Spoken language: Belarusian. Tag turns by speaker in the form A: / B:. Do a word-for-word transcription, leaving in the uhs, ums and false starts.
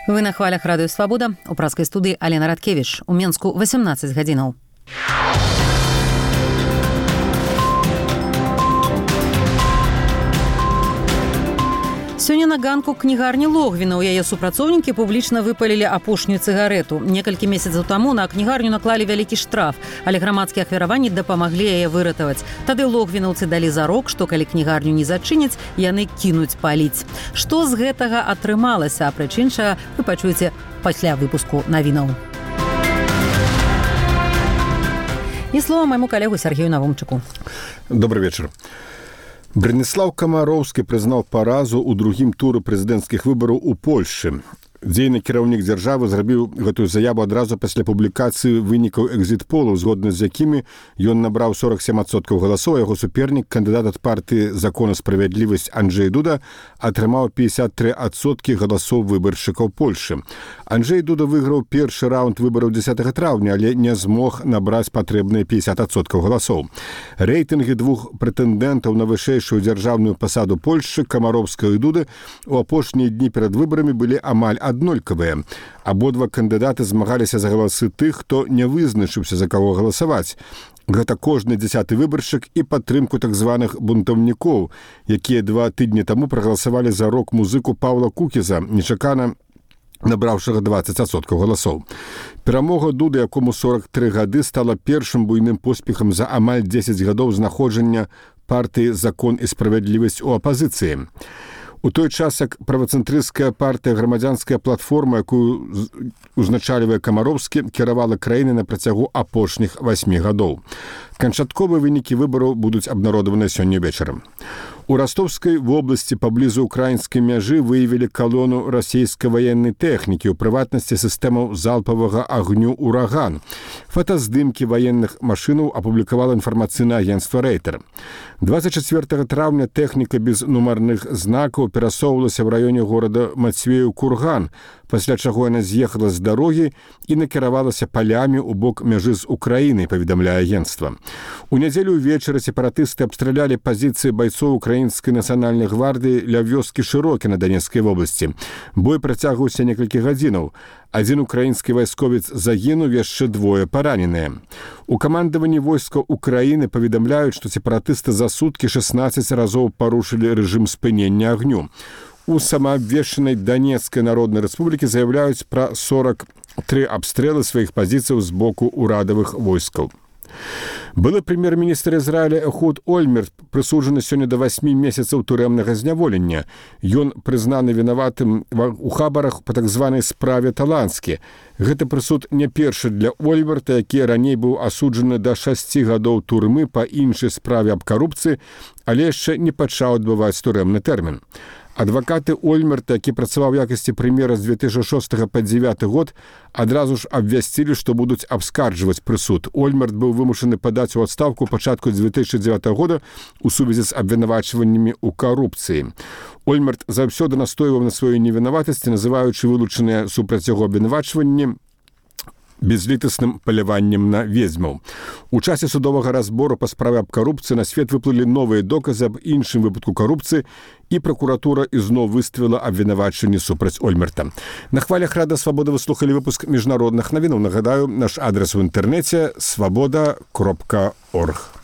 A: Вы на хвалях радыё Свабода. У праскай студыі Алена Радкевіч. У Менску восемнадцать гадзінаў. Сёння на ганку кнігарні Логвіна ў яе супрацоўнікі публічна выпалілі апошнюю цыгарэту. Некалькі месяцаў таму на кнігарню наклалі вялікі штраф, але грамадскія ахвяраванні дапамаглі яе выратаваць. Тады логвінаўцы далі зарок, што калі кнігарню не зачыняць, яны кінуць паліць. Што з гэтага атрымалася, а прычынша вы пачуеце пасля выпуску навінаў. І слова майму калегу Сергею Навумчыку.
B: Добрый вечер. Браніслаў Камароўскі прызнаў паразу ў другім туры прэзідэнцкіх выбараў у Польшчы. Дзейны кіраўнік дзяржавы зрабіў гэтую заяву адразу пасля публікацыі вынікаў экзіт-полаў, згодна з якімі ён набраў сорок сем адсоткаў галасоў, а яго супернік, кандыдат ад партыі «Закон і справядлівасць» Анджэй Дуда, атрымаў пятьдесят три адсоткі галасоў выбаршчыкаў Польшчы. Анджэй Дуда выйграў першы раунд выбараў дзесятага траўня, але не змог набраць патрэбныя пятьдесят адсоткаў галасоў. Рэйтынгі двух прэтэндэнтаў на вышэйшую дзяржаўную пасаду Польшчы, Камароўскага і Дуды, у апошнія дні перад выбарамі былі амаль аднолькавыя. Абодва кандыдаты змагаліся за галасы тых, хто не вызначыўся, за каго галасаваць. Гэта кожны дзясяты выбаршчык і падтрымку так званых бунтаўнікоў, якія два тыдні таму прагаласавалі за рок-музыку Паўла Кукіза, нечакана набраўшага двадцать адсоткаў галасоў. Перамога Дуды, якому сорок три гады, стала першым буйным поспехам за амаль дзесяць гадоў знаходжання партыі «Закон і справядлівасць» у апазіцыі. У той час, як правацэнтрысцкая партыя «Грамадзянская платформа», якую узначальвае Камароўскі, кіравала краіны на працягу апошніх васьмі гадоў. Канчатковыя вынікі выбараў будуць абнародаваныя сёння вечарам. У Ростовскай вобласці паблізу украінскай мяжы выявілі калону расійскай ваеннай тэхнікі, у прыватнасці сістэмаў залпавага агню «Ураган». Фотаздымкі ваенных машынаў апублікавала інфармацыйнае агенцтва «Рэйтер». двадцать чацвёртага траўня тэхніка без нумарных знакаў перасоўвалася ў раёне горада Мацвеў-Курган, пасля чаго яна з'ехала з дарогі і накіравалася палямі ў бок мяжы з Украінай, паведамляе агенцтва. У нядзелю ўвечары сепаратысты абстралялі пазіцыі байцоў украінскай нацыянальнай гвардыі ля вёскі Шырокі на Данецкай вобласці. Бой працягваўся некалькі гадзінаў. Адзін украінскі вайсковец загінуў, яшчэ двое параненыя. У камандаванні войскаў Украіны паведамляюць, што сепаратысты за суткі шестнадцать разоў парушылі рэжым спынення агню. У самаабвешчанай Данецкай народнай рэспублікі заяўляюць пра сорок три абстрэлы сваіх пазіцыяў з боку ўрадавых войскаў. Былы прэм'ер-міністр Ізраіля Эхуд Ольмерт прысуджаны сёння да васьмі месяцаў турэмнага зняволення. Ён прызнаны вінаватым у хабарах па так званай справе Таланскі. Гэты прысуд не першы для Ольмерта, які раней быў асуджаны да шасці гадоў турмы па іншай справе аб карупцыі, але яшчэ не пачаў адбываць турэмны тэрмін. Адвакаты Ольмерта, які працаваў у якасці прэм'ера з две тысячы шостага па дзевяты год, адразу ж абвясцілі, што будуць абскарджваць прысуд. Ольмерт быў вымушаны падаць у адстаўку пачатку две тысячи дзевятага года у сувязі з абвінавачваннямі ў карупцыі. Ольмерт заўсёды настойваў на сваёй невінаватасці, называючы вылучаныя супраць яго абвінавачванні безлітасным паляваннем на ведзьмаў. У часе судовага разбору па справе аб карупцыі на свет выплылі новыя доказы аб іншым выпадку карупцыі, і пракуратура ізноў выставіла абвінавачванні супраць Ольмерта. На хвалях Рада Свабода вы слухалі выпуск міжнародных навінаў. Нагадаю, наш адрес у інтэрнэце свабода кропка орг.